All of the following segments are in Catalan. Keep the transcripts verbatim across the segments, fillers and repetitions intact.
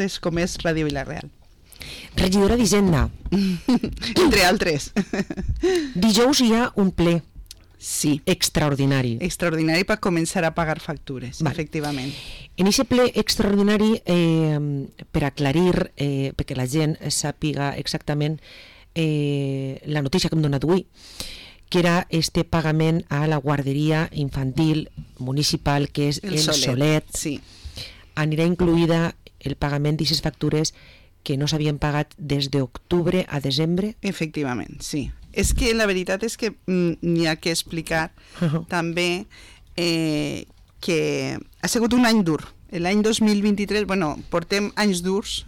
projectes com és Ràdio Vila-real. Regidora d'Hisenda. Entre altres. Dijous hi ha un ple. Sí. Extraordinari. Extraordinari per començar a pagar factures, vale. Efectivament. En aquest ple extraordinari, eh, per aclarir, eh, perquè la gent sàpiga exactament eh, la notícia que hem donat avui, que era este pagament a la guarderia infantil municipal, que és el, el Solet. Solet. Sí. Anirà incluïda el pagament d'aquestes factures que no s'havien pagat des d'octubre a desembre? Efectivament, sí. És que la veritat és que mm, n'hi ha que explicar uh-huh. també eh, que ha sigut un any dur. L'any dos mil vint-i-tres, bueno, portem anys durs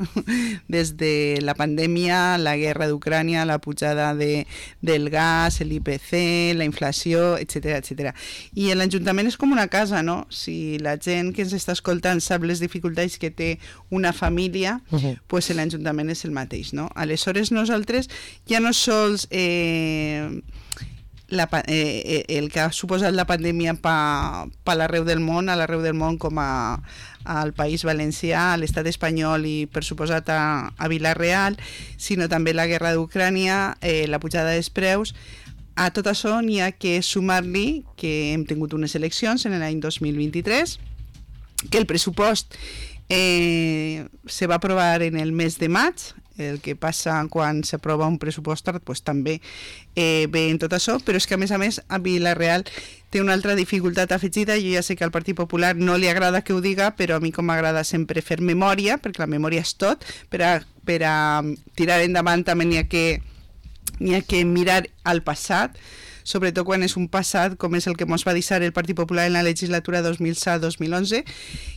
des de la pandèmia, la guerra d'Ucrània, la pujada de, del gas, l'I P C, la inflació, etcètera, etcètera. I l'Ajuntament és com una casa, no? Si la gent que ens està escoltant sap les dificultats que té una família, uh-huh. pues l'Ajuntament és el mateix, no? Aleshores nosaltres ja no sols... Eh, La, eh, el que ha suposat la pandèmia per pa l'arreu del món, a l'arreu del món com a, al País Valencià, a l'estat espanyol i per suposat a, a Vila-real, sinó també la guerra d'Ucrània, eh, la pujada dels preus. A tot això n'hi ha que sumar-li que hem tingut unes eleccions en l'any dos mil vint-i-tres, que el pressupost eh, se va aprovar en el mes de maig. El que passa quan s'aprova un pressupost pues, també eh, ve en tot això, però és que a més a més a Vila-real té una altra dificultat afegida. Jo ja sé que al Partit Popular no li agrada que ho diga, però a mi com m'agrada sempre fer memòria, perquè la memòria és tot, per a, per a tirar endavant també n'hi ha que, n'hi ha que mirar al passat, sobretot quan és un passat com és el que ens va deixar el Partit Popular en la legislatura dos mil set dos mil onze,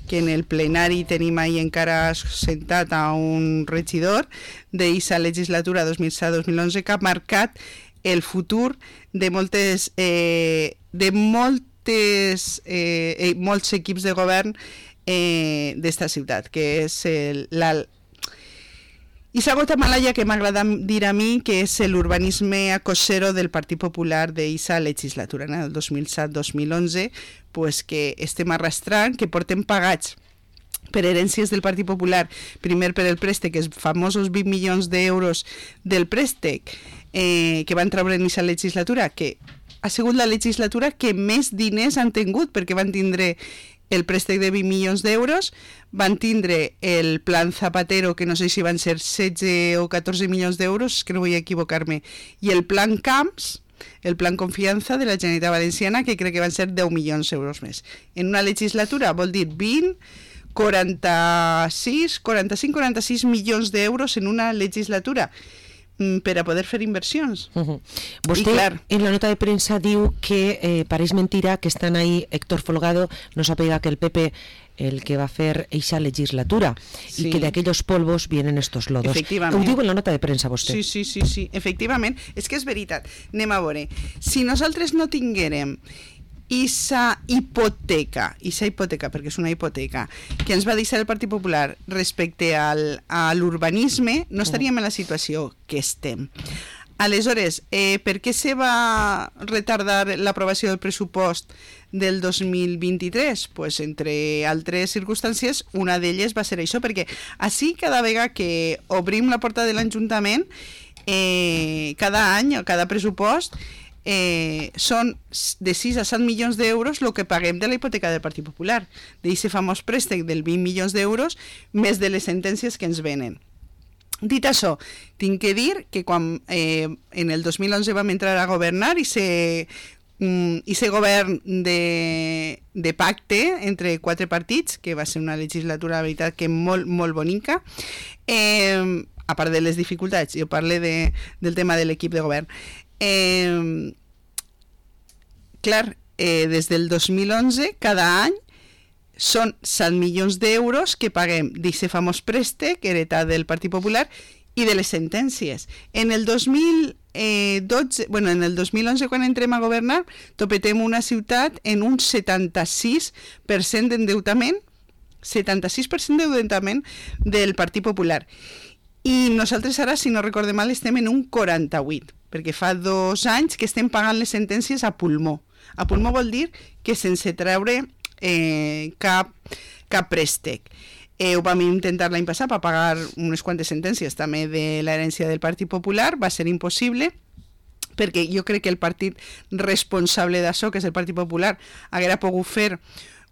que en el plenari tenim ahí encara sentat a un regidor d'aquesta legislatura dos mil set dos mil onze que ha marcat el futur de moltes eh, de moltes eh, molts equips de govern eh, d'esta ciutat, que és el, la I esa gota malaya que m'agrada dir a mi, que és l'urbanisme acosero del Partit Popular d'eixa legislatura, en el dos mil set dos mil onze, pues que estem arrastrant, que portem pagats per herències del Partit Popular, primer per el préstec, els famosos vint milions d'euros del préstec eh, que van treure en aquesta legislatura, que ha sigut la legislatura que més diners han tingut, perquè van tindre el préstec de vint milions d'euros, van tindre el plan Zapatero, que no sé si van ser setze o catorze milions d'euros, que no vull equivocar-me, i el plan Camps, el plan Confiança de la Generalitat Valenciana, que crec que van ser deu milions d'euros més. En una legislatura vol dir vint, quaranta-sis, quaranta-cinc, quaranta-sis milions d'euros en una legislatura per a poder fer inversions. Uh-huh. Vostè, clar, en la nota de premsa diu que eh, pareix mentira que estan ahí Héctor Folgado, no sàpiga que el P P el que va fer eixa legislatura, sí, i que de aquellos polvos vienen estos lodos. Ho diu en la nota de premsa vostè. Sí, sí, sí, sí, efectivament. És que és veritat. Anem a veure. Si nosaltres no tinguérem Issa hipoteca, issa hipoteca, perquè és una hipoteca, que ens va deixar el Partit Popular respecte al, a l'urbanisme, no estaríem en la situació que estem. Aleshores, eh, per què se va retardar l'aprovació del pressupost del dos mil vint-i-tres? Pues, entre altres circumstàncies, una d'elles va ser això, perquè així cada vegada que obrim la porta de l'Ajuntament, eh, cada any, cada pressupost, Eh, són de sis a set milions d'euros el que paguem de la hipoteca del Partit Popular, d'aquest famós préstec del vint milions d'euros, més de les sentències que ens venen. Dit això, tinc que dir que quan eh, en el dos mil onze vam entrar a governar i se um, i se govern de, de pacte entre quatre partits, que va ser una legislatura, la veritat, que molt, molt bonica, eh, a part de les dificultats, jo parlo de, del tema de l'equip de govern. Eh, clar, eh, des del dos mil onze cada any són set milions d'euros que paguem d'aquest famós préstec heretat del Partit Popular i de les sentències. En el dos mil dotze, bueno, en el dos mil onze, quan entrem a governar, topetem una ciutat en un setanta-sis per cent d'endeutament, setanta-sis per cent d'endeutament del Partit Popular. I nosaltres ara, si no recorde mal, estem en un quaranta-vuit, perquè fa dos anys que estem pagant les sentències a pulmó. A pulmó vol dir que sense treure eh, cap, cap préstec. Eh, ho vam intentar l'any passat per pagar unes quantes sentències també de l'herència del Partit Popular, va ser impossible, perquè jo crec que el partit responsable d'això, que és el Partit Popular, haguera pogut fer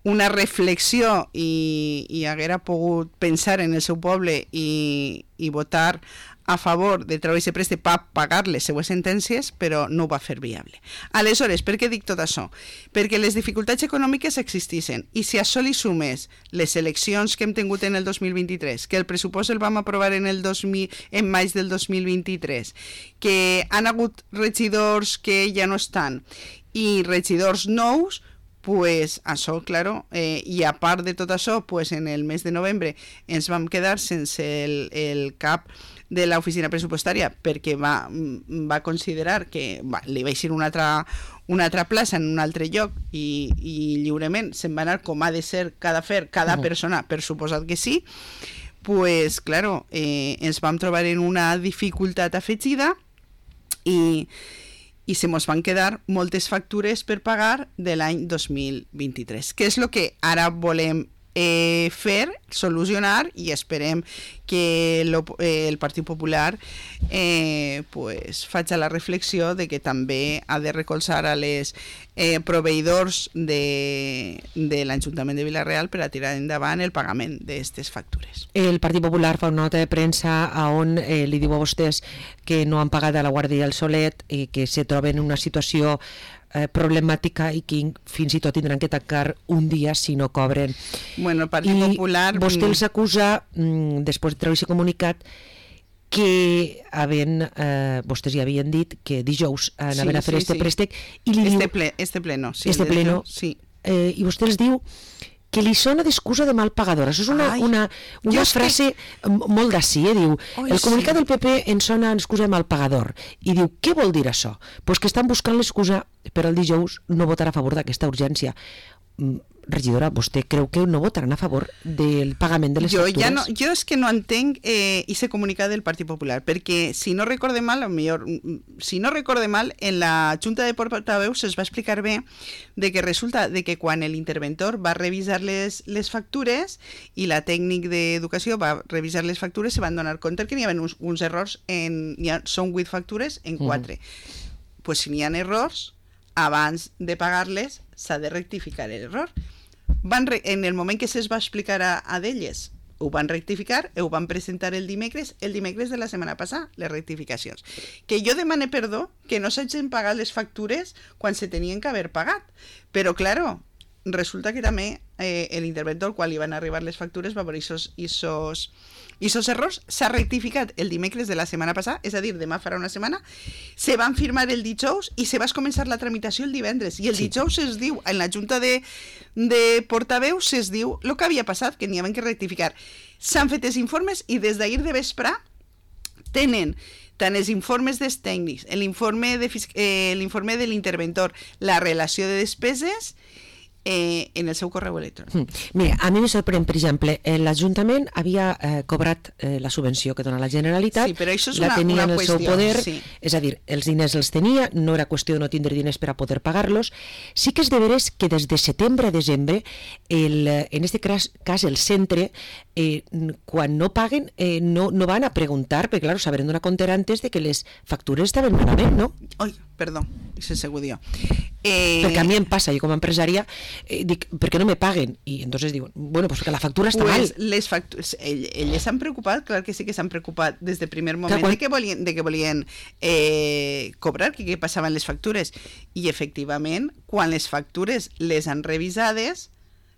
una reflexió i, i haguera pogut pensar en el seu poble i, i votar a favor de treure aquest préstec per pagar les seues sentències, però no ho va fer viable. Aleshores, per què dic tot això? Perquè les dificultats econòmiques existissin, i si a això li sumes les eleccions que hem tingut en el dos mil vint-i-tres, que el pressupost el vam aprovar en el dos mil, en maig del dos mil vint-i-tres, que han hagut regidors que ja no estan, i regidors nous, pues això, claro, eh, i a part de tot això, pues en el mes de novembre ens vam quedar sense el, el cap de l'oficina pressupostària perquè va, va considerar que va, li va eixir una altra, una altra plaça en un altre lloc i, i lliurement se'n va anar com ha de ser cada fer, cada uh-huh. persona, per suposat que sí, pues claro, eh, ens vam trobar en una dificultat afegida i i se mos van quedar moltes factures per pagar de l'any dos mil vint-i-tres, que és el que ara volem eh, fer, solucionar, i esperem que lo, eh, el Partit Popular eh, pues, faci la reflexió de que també ha de recolzar a les eh, proveïdors de, de l'Ajuntament de Vila-real per a tirar endavant el pagament d'aquestes factures. El Partit Popular fa una nota de premsa on eh, li diu a vostès que no han pagat a la Guàrdia del Solet i que se troben en una situació eh, problemàtica i que fins i tot tindran que tancar un dia si no cobren. Bueno, el Partit I Popular... vostè els acusa, mm, després de treure aquest comunicat, que havent, eh, vostès ja havien dit que dijous anaven sí, a fer sí, este sí. préstec i li este diu... Ple, este pleno, sí. Este pleno, sí. Eh, i vostè els diu que li sona d'excusa de mal pagador. Això és una, Ai, una, una frase que... molt d'ací, eh? Diu, Oi, el comunicat sí. del P P ens sona d'excusa de mal pagador. I diu, què vol dir això? Pues que estan buscant l'excusa per al dijous no votar a favor d'aquesta urgència. Regidora, vostè creu que no votaran a favor del pagament de les jo factures? Ja no, jo és que no entenc eh, ese comunicat del Partit Popular, perquè si no recorde mal, millor, si no recorde mal, en la Junta de Portaveus es va explicar bé de que resulta de que quan l'interventor va revisar les, les factures i la tècnic d'educació va revisar les factures, se van donar compte que n'hi havia uns, uns errors, en, ha, són vuit factures en quatre. Mm. Pues si n'hi ha errors, abans de pagar-les s'ha de rectificar l'error. Van re en el moment que se'ls va explicar a, a d'elles, ho van rectificar, ho van presentar el dimecres, el dimecres de la setmana passada, les rectificacions. Que jo demane perdó que no s'hagin pagat les factures quan se tenien que haver pagat. Però, claro, resulta que també eh, l'interventor, quan li van arribar les factures, va veure isos, isos, isos errors, s'ha rectificat el dimecres de la setmana passada, és a dir, demà farà una setmana, se van firmar el dijous i se va començar la tramitació el divendres. I el sí. dijous es diu, en la Junta de, de Portaveus, es diu el que havia passat, que n'hi havia que rectificar. S'han fet els informes i des d'ahir de vespre tenen tant els informes dels tècnics, l'informe de, eh, l'informe de l'interventor, la relació de despeses, Eh, en el seu correu electrònic. Mm. Mira, a mi me sorprèn, per exemple, eh, l'Ajuntament havia eh, cobrat eh, la subvenció que dona la Generalitat, sí, però això és la una, tenia una en el qüestió, seu poder, sí. és a dir, els diners els tenia, no era qüestió de no tindre diners per a poder pagar-los. Sí que és de veres que des de setembre a desembre, el, en este cas, cas el centre, eh, quan no paguen, eh, no, no van a preguntar, perquè, clar, s'haveren donat compte antes de que les factures estaven malament, no? Oi, perdó, se segur dio. Eh... Perquè a mi em passa, jo com a empresària eh, dic, ¿per què no me paguen? I entonces diuen, bueno, pues que la factura està pues mal. Les factures, ell, elles s'han preocupat, clar que sí que s'han preocupat des del primer moment clar, quan... de que volien, de que volien eh, cobrar, que, que passaven les factures, i efectivament, quan les factures les han revisades,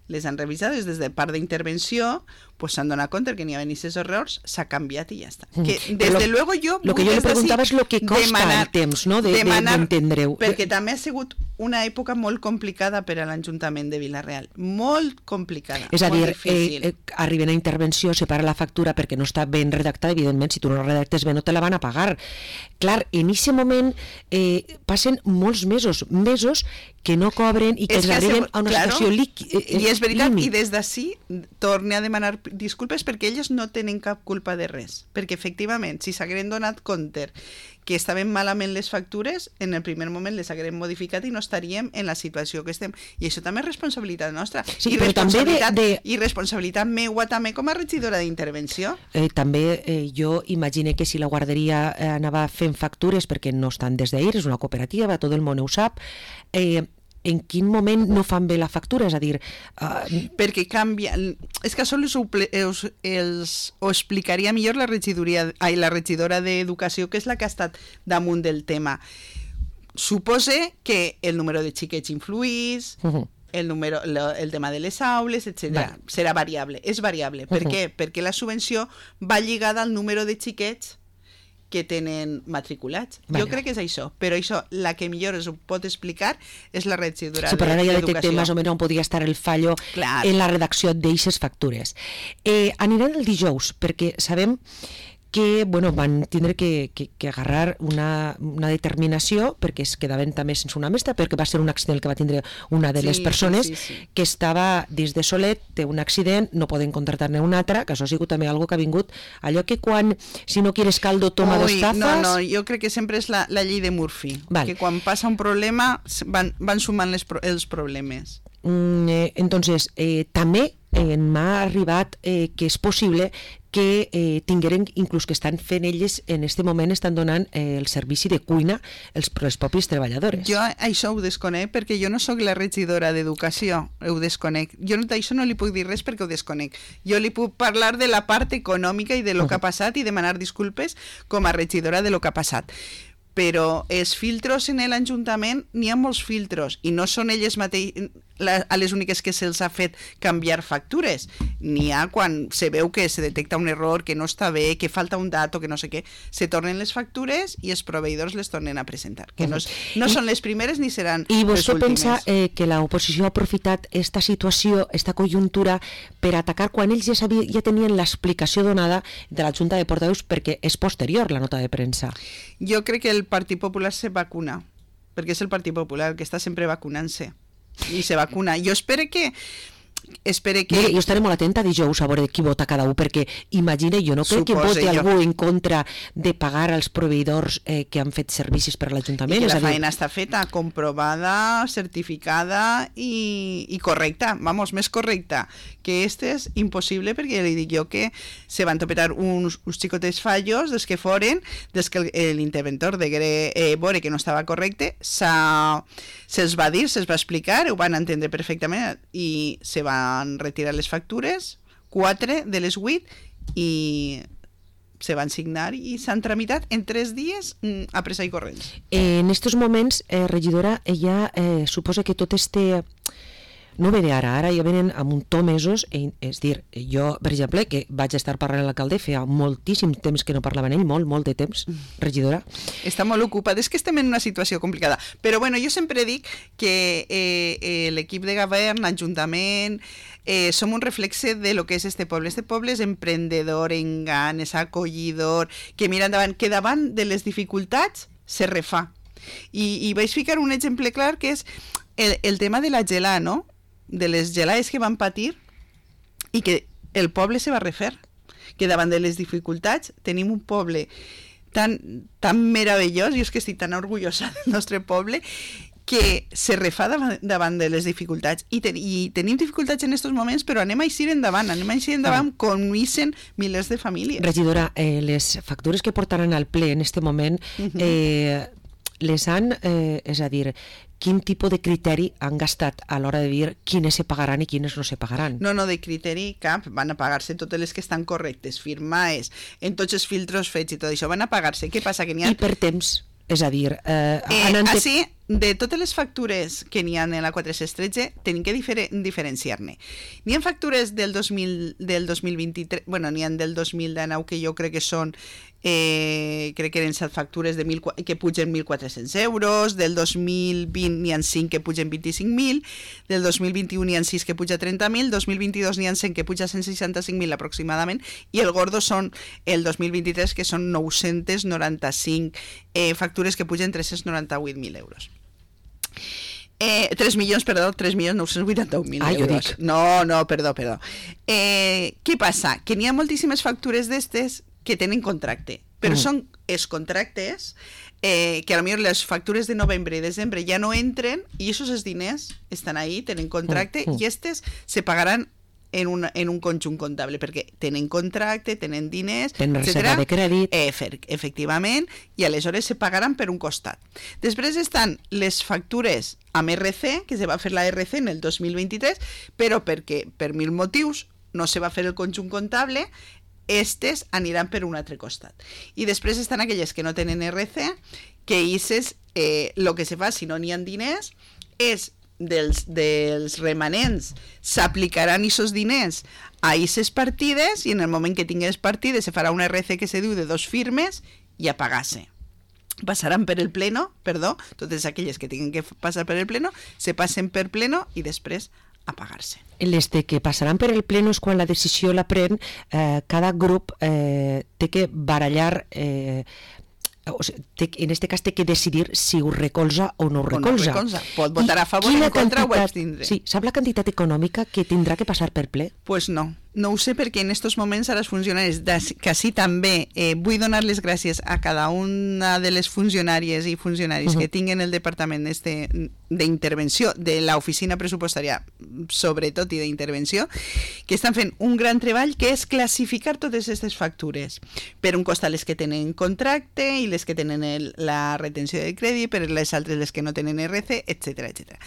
les han revisades des de part d'intervenció, pues s'han donat compte que n'hi havia aquests errors, s'ha canviat i ja està. Mm. Que desde lo, luego jo... Lo que jo li preguntava és lo que costa demanar, el temps, no?, d'entendre-ho. De, perquè també ha sigut una època molt complicada per a l'Ajuntament de Vila-real. Molt complicada, és a molt dir, difícil. Eh, eh, arriben a intervenció, separa la factura perquè no està ben redactada, evidentment, si tu no la redactes bé no te la van a pagar. Clar, en aquest moment eh, passen molts mesos, mesos que no cobren i que es arriben a una claro, situació líquida. Eh, I és veritat, límit. I des d'ací torne a demanar disculpes perquè elles no tenen cap culpa de res, perquè efectivament, si s'hagueren donat compte que estaven malament les factures, en el primer moment les haguem modificat i no estaríem en la situació que estem. I això també és responsabilitat nostra. Sí, I, però responsabilitat, també de, de... I responsabilitat meua també com a regidora d'intervenció. Eh, també eh, jo imagine que si la guarderia eh, anava fent factures, perquè no estan des d'ahir, és una cooperativa, tot el món ho sap, eh, en quin moment no fan bé la factura? És a dir... Uh... Perquè canvia... És que això els, els, els, ho explicaria millor la regidoria, ai, la regidora d'Educació, que és la que ha estat damunt del tema. Supose que el número de xiquets influís, uh-huh. el, número, lo, el tema de les aules, etcètera. Vale. Serà variable. És variable. Per uh-huh. què? Perquè la subvenció va lligada al número de xiquets que tenen matriculats. Vale. Jo crec que és això, però això, la que millor es ho pot explicar és la regidora d'Educació. Sí, però ara ja detectem més o menys on podria estar el fallo Clar. en la redacció d'eixes factures. Eh, aniran el dijous, perquè sabem que bueno, van tindre que, que, que agarrar una, una determinació perquè es quedaven també sense una mestra, perquè va ser un accident que va tindre una de les sí, persones sí, sí, sí. que estava dins de Solet, té un accident, no poden contractar-ne una altra, que això ha sigut també algo que ha vingut, allò que quan, si no quieres caldo, toma Ui, dos tazas... No, no, jo crec que sempre és la, la llei de Murphy, vale. que quan passa un problema van, van sumant les, els problemes. Mm, eh, entonces, eh, també eh, m'ha arribat eh, que és possible que eh, tingueren, inclús que estan fent elles en este moment, estan donant eh, el servici de cuina els, els propis treballadors. Jo això ho desconec perquè jo no sóc la regidora d'Educació, ho desconec. Jo d'això no li puc dir res perquè ho desconec. Jo li puc parlar de la part econòmica i de lo uh-huh. que ha passat i demanar disculpes com a regidora de lo que ha passat. Però els filtros en l'Ajuntament, n'hi ha molts filtros i no són elles mateixes a les úniques que se'ls ha fet canviar factures. N'hi ha quan se veu que se detecta un error, que no està bé, que falta un dato, que no sé què, se tornen les factures i els proveïdors les tornen a presentar, que no, és, no són les primeres ni seran I les últimes. I vostè pensa eh, que l'oposició ha aprofitat esta situació, esta conjuntura, per atacar quan ells ja, sabia, ja tenien l'explicació donada de la Junta de Portaveus perquè és posterior la nota de premsa? Jo crec que el Partit Popular se vacuna, perquè és el Partit Popular que està sempre vacunant-se i se vacuna. Jo espero que espero que... Mira, jo estaré molt atenta dijous a veure qui vota cada un, perquè imagina, jo no crec que voti jo. algú en contra de pagar als proveïdors eh, que han fet servicis per a l'Ajuntament. I que la dir... feina està feta, comprovada, certificada i, i correcta, vamos, més correcta que este és impossible, perquè li dic jo que se van topetar uns, uns xicotes fallos des que foren, des que l'interventor degué eh, veure que no estava correcte, se'ls va dir, se'ls va explicar, ho van entendre perfectament i se van retirar les factures, quatre de les vuit, i se van signar i s'han tramitat en tres dies a pressa i corrents. Eh, en estos moments, eh, regidora, ella eh, suposa que tot este... No ve d'ara, ara ja venen a muntó mesos, eh, és dir, jo, per exemple, que vaig estar parlant amb l'alcalde, feia moltíssim temps que no parlava amb ell, molt, molt de temps, regidora. Està molt ocupat, és que estem en una situació complicada, però bueno, jo sempre dic que eh, eh, l'equip de govern, l'Ajuntament, eh, som un reflexe de lo que és este poble. Este poble és emprendedor, engant, és acollidor, que mira endavant, que davant de les dificultats se refà. I, i vaig ficar un exemple clar que és el, el tema de la gelà, no? De les gelades que van patir i que el poble se va refer, que davant de les dificultats tenim un poble tan, tan meravellós, i és que estic tan orgullosa del nostre poble, que se refà davant, davant de les dificultats i, ten, i tenim dificultats en aquests moments, però anem a eixir endavant, anem a eixir endavant ah. com eixen milers de famílies. Regidora, eh, les factures que portaran al ple en este moment uh-huh. eh, les han, eh, és a dir, quin tipus de criteri han gastat a l'hora de dir quines se pagaran i quines no se pagaran? No, no, de criteri cap, van a pagar-se totes les que estan correctes, firmades, en tots els filtros fets i tot això, van a pagar-se. Què passa? Que n'hi ha... I per temps, és a dir... Eh, eh, ante... Així, de totes les factures que n'hi ha en la quatre-cents tretze, tenim que difer diferenciar-ne. N'hi ha factures del, dos mil, del dos mil vint-i-tres, bueno, n'hi ha del dos mil dinou que jo crec que són Eh, crec que eren set factures de mil, que pugen mil quatre-cents euros, del dos mil vint n'hi ha cinc que pugen vint-i-cinc mil, del dos mil vint-i-u n'hi ha sis que puja trenta mil, dos mil vint-i-dos n'hi ha cent que puja cent seixanta-cinc mil aproximadament, i el gordo són el dos mil vint-i-tres que són nou-cents noranta-cinc eh, factures que pugen tres-cents noranta-vuit mil euros. Eh, tres milions, perdó, tres milions nou-cents vuitanta-un mil ah, euros. No, no, perdó, perdó. Eh, què passa? Que n'hi ha moltíssimes factures d'estes que tenen contracte, però mm. són els contractes eh, que a lo millor les factures de novembre i desembre ja no entren i aquests diners estan ahí, tenen contracte mm. i estes se pagaran en un, en un conjunt comptable, perquè tenen contracte, tenen diners, tenen reserva de crèdit. Eh, efectivament, i aleshores se pagaran per un costat. Després estan les factures amb R C, que se va fer la R C en el dos mil vint-i-tres, però perquè per mil motius no se va fer el conjunt comptable, estes aniran per un altre costat. I després estan aquelles que no tenen R C, que el eh, que se fa si no n'hi ha diners és dels, dels remanents s'aplicaran aquests diners a aquestes partides i en el moment que tingués partides se farà una R C que se diu de dos firmes i a pagar-se. Passaran per el pleno, perdó, totes aquelles que tinguin que passar per el pleno se passen per pleno i després a pagar-se. Les de que passaran per el pleno és quan la decisió la pren eh, cada grup eh, té que barallar eh, o sigui, té, en este cas té que decidir si ho recolza o no ho recolza. O no recolza. Pot votar a favor, en contra o abstindre. Sí, sap la quantitat econòmica que tindrà que passar per ple? Pues no. No ho sé perquè en aquests moments ara els funcionaris, que sí també eh, vull donar les gràcies a cada una de les funcionàries i funcionaris uh-huh. que tinguen el departament este, d'intervenció, de l'oficina pressupostària, sobretot i d'intervenció, que estan fent un gran treball que és classificar totes aquestes factures. Per un costat les que tenen contracte i les que tenen el, la retenció de crèdit, per les altres les que no tenen R C, etcètera, etcètera.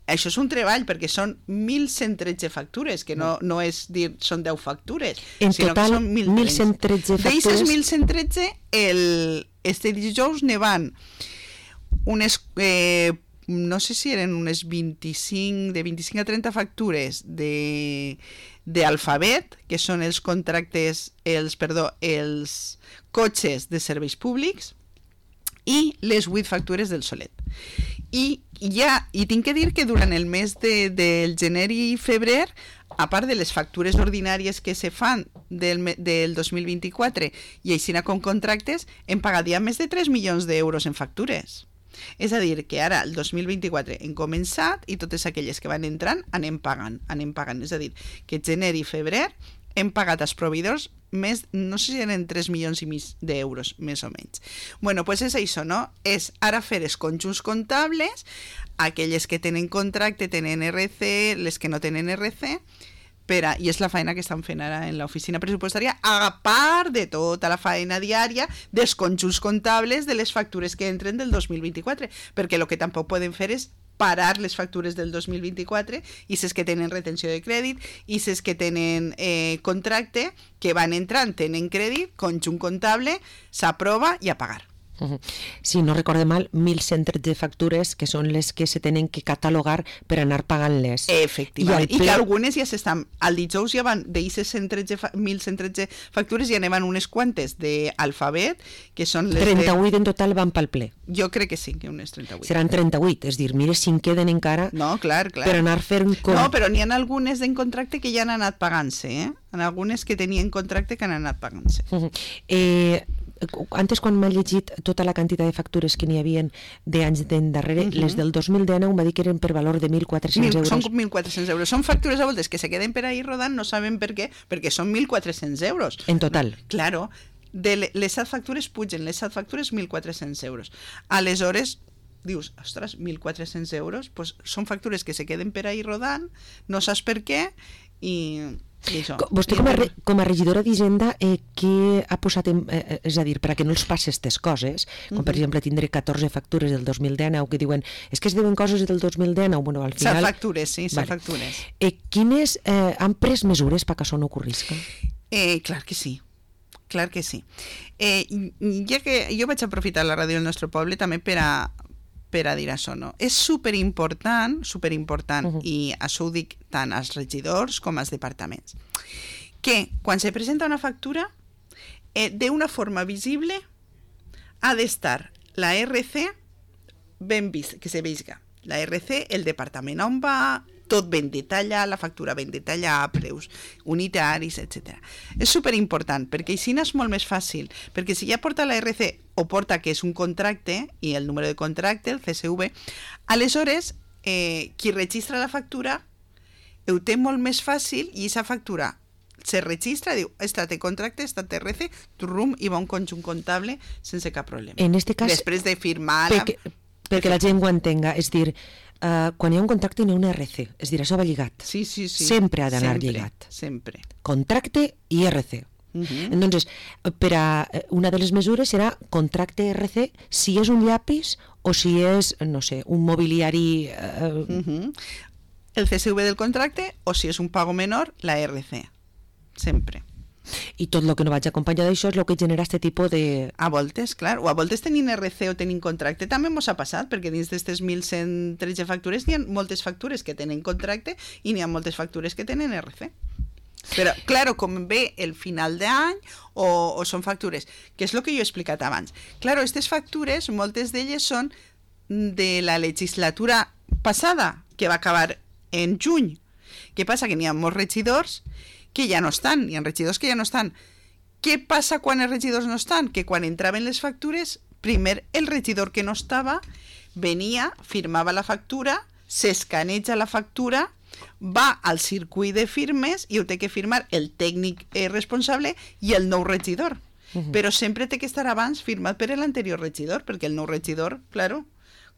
Això és un treball perquè són mil cent tretze factures, que no, no és dir són deu factures, en sinó total, que són mil cent tretze factures. D'aquestes mil cent tretze, el, este dijous ne van unes, eh, no sé si eren unes vint-i-cinc, de vint-i-cinc a trenta factures de d'Alfabet, que són els contractes, els, perdó, els cotxes de serveis públics, i les vuit factures del Solet. I ja, i tinc que dir que durant el mes de, del gener i febrer, a part de les factures ordinàries que se fan del, del dos mil vint-i-quatre i així com contractes, hem pagat ja més de tres milions d'euros en factures. És a dir, que ara el dos mil vint-i-quatre hem començat i totes aquelles que van entrant anem pagant, anem pagant. És a dir, que gener i febrer hem pagat als proveïdors més, no sé si eren tres milions i mig d'euros, més o menys. Bueno, doncs és això, no? És ara fer els conjunts comptables, aquelles que tenen contracte, tenen R C, les que no tenen R C, per a, i és la feina que estan fent ara en l'oficina pressupostària, a part de tota la feina diària dels conjunts comptables de les factures que entren del dos mil vint-i-quatre, perquè el que tampoc poden fer és parar les factures del dos mil vint-i-quatre i ses que tenen retenció de crèdit i ses que tenen eh, contracte, que van entrant, tenen crèdit, conjunt comptable, s'aprova i a pagar. Uh-huh. Si no recorde mal, mil cent tretze factures que són les que se tenen que catalogar per anar pagant-les. Efectivament, i, ple... i que algunes ja s'estan, al dijous ja van, d'aquestes mil cent tretze factures ja n'hi unes quantes d'Alfabet, que són les trenta-vuit de... en total van pel ple. Jo crec que sí, que unes trenta-vuit. Seran trenta-vuit, és dir, mira si en queden encara no, clar, clar. per anar fent... Com... No, però n'hi ha algunes en contracte que ja han anat pagant-se, eh? En algunes que tenien contracte que han anat pagant-se. Uh-huh. Eh... Antes, quan m'ha llegit tota la quantitat de factures que n'hi havia d'anys d'endarrere, uh-huh. les del dos mil dinou m'ha dit que eren per valor de mil quatre-cents euros. Són mil quatre-cents euros. Són factures a voltes que se queden per ahí rodant, no saben per què, perquè són mil quatre-cents euros. En total? Claro. De les set factures pugen, les set factures mil quatre-cents euros. Aleshores, dius, ostres, mil quatre-cents euros, pues són factures que se queden per ahí rodant, no saps per què, i... Vostè com a, re, com a regidora d'Hisenda eh, què ha posat en, eh, és a dir, per a que no els passi aquestes coses, com per exemple tindré catorze factures del dos mil dinou que diuen, és que es deuen coses del dos mil dinou, bueno, al final... Set factures, sí, set vale. factures. Eh, quines eh, han pres mesures perquè això no ocorrisca? Eh, clar que sí, clar que sí. Eh, ja que jo vaig aprofitar la ràdio del nostre poble també per a per a dir això, no? És superimportant, superimportant, uh-huh. i això ho dic tant als regidors com als departaments, que quan se presenta una factura, eh, d'una forma visible ha d'estar la R C ben vist, que se veja. La R C, el departament on va, tot ben detallat, la factura ben detallat, preus unitaris, etcètera. És superimportant, perquè així és molt més fàcil, perquè si ja porta la R C o porta que és un contracte, i el número de contracte, el C S V, aleshores eh, qui registra la factura ho té molt més fàcil i aquesta factura se registra, diu, esta té contracte, esta té R C, turrum, i va un conjunt comptable sense cap problema. En este cas, després de firmar... Perquè, la... perquè la gent ho entenga, és dir, uh, quan hi ha un contracte hi ha una R C, és dir, això va lligat. Sí, sí, sí. Sempre ha d'anar sempre, lligat. Sempre. Contracte i R C. Uh-huh. Entonces, per a una de les mesures serà contracte R C si és un llapis o si és, no sé, un mobiliari... Uh... Uh-huh. El C S V del contracte o si és un pago menor, la R C. Sempre. I tot el que no vaig acompanyar d'això és el que genera aquest tipus de... A voltes, clar, o a voltes tenint R C o tenint contracte també mos ha passat, perquè dins d'aquestes mil cent tretze factures n'hi ha moltes factures que tenen contracte i n'hi ha moltes factures que tenen R C. Però, clar, com ve el final d'any o, o són factures, que és el que jo he explicat abans. Clar, aquestes factures, moltes d'elles són de la legislatura passada, que va acabar en juny. Què passa? Que n'hi ha molts regidors que ja no estan, hi ha regidors que ja no estan. Què passa quan els regidors no estan? Que quan entraven les factures, primer el regidor que no estava venia, firmava la factura, s'escaneja la factura, va al circuit de firmes i ho té que firmar el tècnic eh, responsable i el nou regidor. Uh-huh. Però sempre té que estar abans firmat per l'anterior regidor, perquè el nou regidor, claro,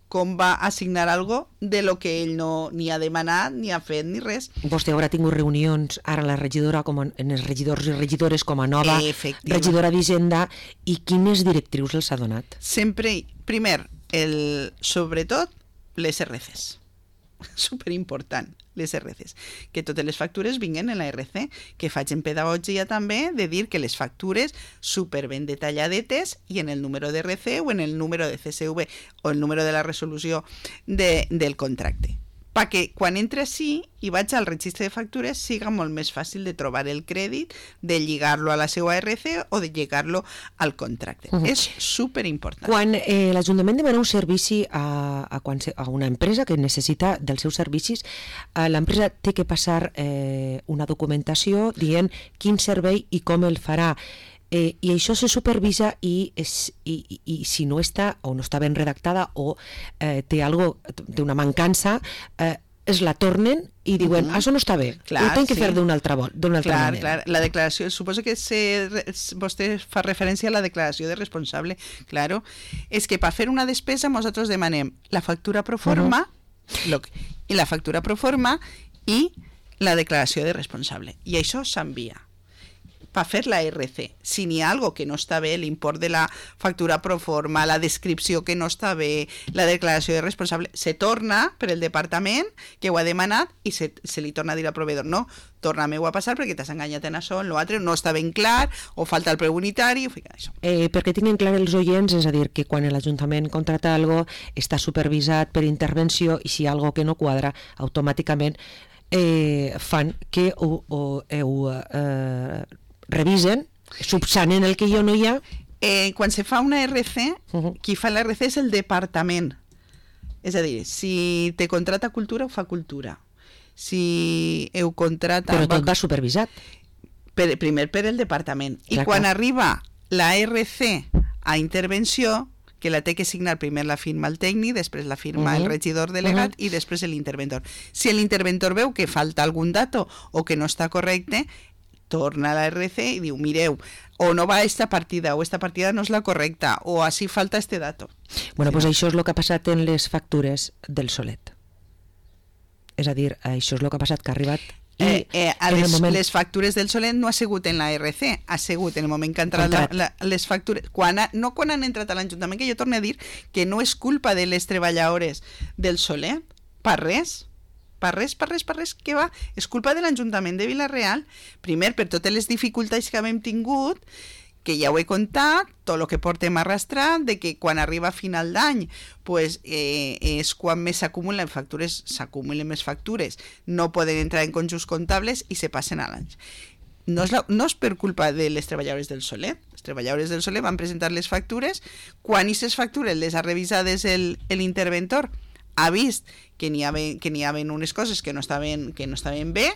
com va assignar algo de lo que ell no ni ha demanat, ni ha fet, ni res. Vostè haurà tingut reunions ara la regidora, com en els regidors i regidores com a nova regidora d'Hisenda, i quines directrius els ha donat? Sempre, primer, el, sobretot, les R Cs. Superimportant, les R Cs. Que totes les factures vinguen en la R C, que faig en pedagogia també de dir que les factures super ben detalladetes i en el número de R C o en el número de C S V o el número de la resolució de, del contracte. Perquè quan entre així i vaig al registre de factures siga molt més fàcil de trobar el crèdit, de lligar-lo a la seva R C o de lligar-lo al contracte. Uh-huh. És superimportant. Quan eh, l'Ajuntament demana un servici a, a, quan se, a una empresa que necessita dels seus servicis, eh, l'empresa té que passar eh, una documentació dient quin servei i com el farà. Eh, i això se supervisa i, és, i, i, i si no està o no està ben redactada o eh, té, algo, té una mancança, eh, es la tornen i diuen, uh-huh. això no està bé, clar, ho tenc que sí. fer d'una altra, d'una altra clar, manera. Clar, la declaració, suposo que se, vostè fa referència a la declaració de responsable, claro, és que per fer una despesa nosaltres demanem la factura pro forma uh-huh. lo, i la factura pro forma i la declaració de responsable, i això s'envia per fer la R C. Si n'hi ha algo que no està bé, l'import de la factura pro forma, la descripció que no està bé, la declaració de responsable, se torna per el departament que ho ha demanat i se, se li torna a dir al proveïdor, no, torna-me-ho a passar perquè t'has enganyat en això, en l'altre, no està ben clar, o falta el preu unitari, o fica això. Eh, perquè tinguin clar els oients, és a dir, que quan l'Ajuntament contrata algo està supervisat per intervenció i si hi ha algo que no quadra, automàticament eh, fan que ho, ho, ho eh, revisen, subsanen el que jo no hi ha. Eh, quan se fa una R C, uh-huh. qui fa la R C és el departament. És a dir, si te contrata cultura, ho fa cultura. Si ho contrata... Però tot va supervisat. Per, primer per el departament. I clar, quan clar. arriba la R C a intervenció, que la té que signar primer la firma el tècnic, després la firma uh-huh. el regidor delegat uh-huh. i després l'interventor. Si l'interventor veu que falta algun dato o que no està correcte, torna a la R C i diu, mireu, o no va esta partida, o esta partida no és la correcta, o així falta este dato. Bueno, sí, pues no? Això és el que ha passat en les factures del Solet. És a dir, això és el que ha passat, que ha arribat... I eh, eh, a les, moment... les factures del Solet no ha sigut en la R C, ha sigut en el moment que han entrat la, la, les factures, quan ha, no quan han entrat a l'Ajuntament, que jo torno a dir que no és culpa de les treballadores del Solet, per res, per res, per res, per res, que va, és culpa de l'Ajuntament de Vila-real, primer per totes les dificultats que hem tingut, que ja ho he contat, tot el que portem arrastrat, de que quan arriba a final d'any pues, eh, és quan més s'acumulen factures, s'acumulen més factures, no poden entrar en conjunts comptables i se passen a l'any. No és, la, no és per culpa de les treballadores del Solet, les treballadores del Solet van presentar les factures, quan aquestes factures les ha revisades l'interventor, ha vist que n'hi havia, que n'hi havia unes coses que no estaven, que no estaven bé,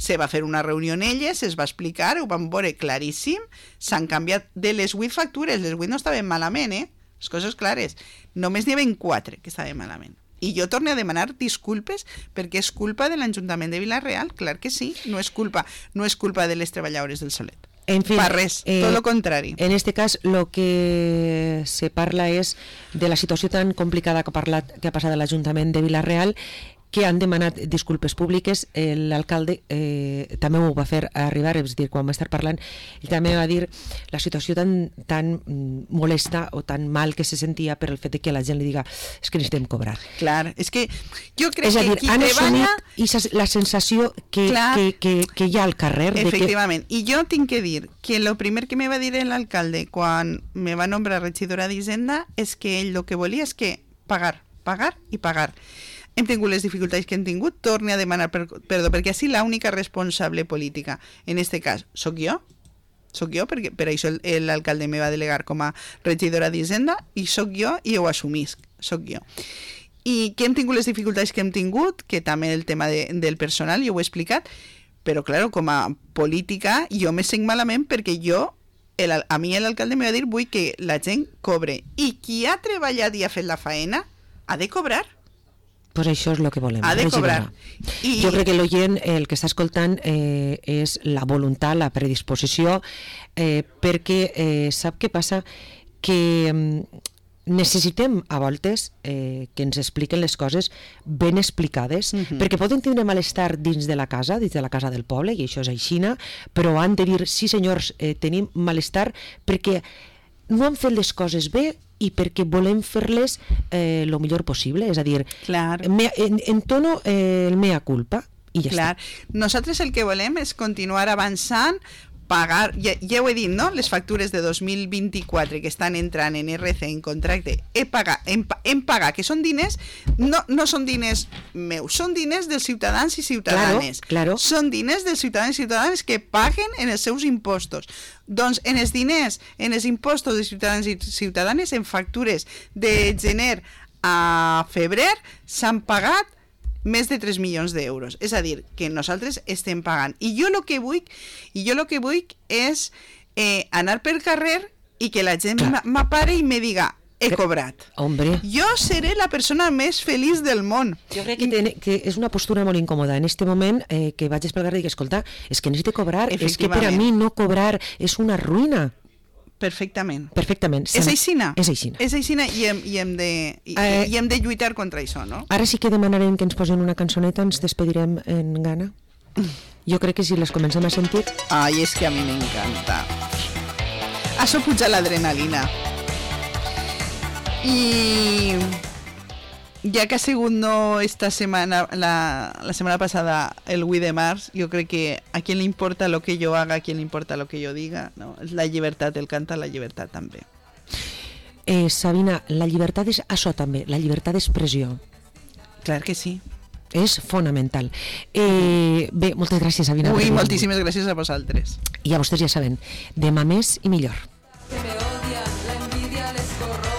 se va fer una reunió en elles, es va explicar, ho van veure claríssim, s'han canviat de les vuit factures, les vuit no estaven malament, eh? Les coses clares. Només n'hi havia quatre que estaven malament. I jo torno a demanar disculpes perquè és culpa de l'Ajuntament de Vila-real, clar que sí, no és culpa, no és culpa de les treballadores del Solet. En fin, pa res, eh, tot lo contrari. En este cas, lo que se parla és de la situació tan complicada que ha, parlat, que ha passat a l'Ajuntament de Vila-real, que han demanat disculpes públiques. L'alcalde eh, també ho va fer arribar, és a dir, quan va estar parlant, ell també va dir la situació tan, tan molesta o tan mal que se sentia per el fet de que la gent li diga és que necessitem cobrar. Clar, és que jo crec és a dir, que qui han treballa... assumit la sensació que, que, que, que hi ha al carrer. Efectivament, de que... i jo tinc que dir que el primer que me va dir l'alcalde quan me va nombrar regidora d'Hisenda és que ell el que volia és que pagar, pagar i pagar. Hem tingut les dificultats que hem tingut, torne a demanar per, perdó, perquè així l'única responsable política, en este cas, sóc jo, sóc jo, perquè per això l'alcalde me va delegar com a regidora d'Hisenda, i sóc jo i ho assumisc, sóc jo. I que hem tingut les dificultats que hem tingut, que també el tema de, del personal, jo ho he explicat, però, clar, com a política, jo me sent malament perquè jo, el, a mi l'alcalde me va dir vull que la gent cobre, i qui ha treballat i ha fet la faena ha de cobrar. Pues això és el que volem. Ha de cobrar. I... Jo crec que l'oient, el que està escoltant, eh, és la voluntat, la predisposició, eh, perquè eh, sap què passa? Que eh, necessitem a voltes eh, que ens expliquen les coses ben explicades, uh-huh. perquè poden tindre malestar dins de la casa, dins de la casa del poble, i això és aixina, però han de dir, sí senyors, eh, tenim malestar perquè no han fet les coses bé i perquè volem fer-les eh, el millor possible, és a dir, me, en, entono eh, el mea culpa i ja Clar. està. Nosaltres el que volem és continuar avançant, pagar, ja, ja ho he dit, no? Les factures de dos mil vint-i-quatre que estan entrant en R C, en contracte, he pagat, hem, hem pagat, que són diners, no, no són diners meus, són diners dels ciutadans i ciutadanes. Claro, claro. Són diners dels ciutadans i ciutadanes que paguen en els seus impostos. Doncs en els diners, en els impostos de ciutadans i ciutadanes, en factures de gener a febrer, s'han pagat més de tres milions d'euros. És a dir, que nosaltres estem pagant. I jo el que vull, i jo el que vull és eh, anar per carrer i que la gent m'apare i me diga he cobrat. Hombre. Jo seré la persona més feliç del món. Jo crec que, ten, que és una postura molt incòmoda. En este moment eh, que vaig pel carrer i dic, escolta, és que necessito cobrar, és que per a mi no cobrar és una ruïna. Perfectament. Perfectament. És aixina. És aixina. És aixina i hem, i, hem de, i, eh, i hem de lluitar contra això, no? Ara sí que demanarem que ens posen una cançoneta, ens despedirem en gana. Jo crec que si les comencem a sentir... Ai, és que a mi m'encanta. Això puja l'adrenalina. I... ja que ha sigut no esta setmana, la, la setmana passada, el vuit de març, jo crec que a qui li importa lo que jo haga, a qui li importa lo que jo diga, no? És la llibertat, el canta la llibertat també. Eh, Sabina, la llibertat és això també, la llibertat d'expressió. Clar que sí. És fonamental. Eh, bé, moltes gràcies, Sabina. Ui, moltíssimes gràcies a vosaltres. I a vostès ja saben, demà més i millor. Que me odian, la envidia les corrompe.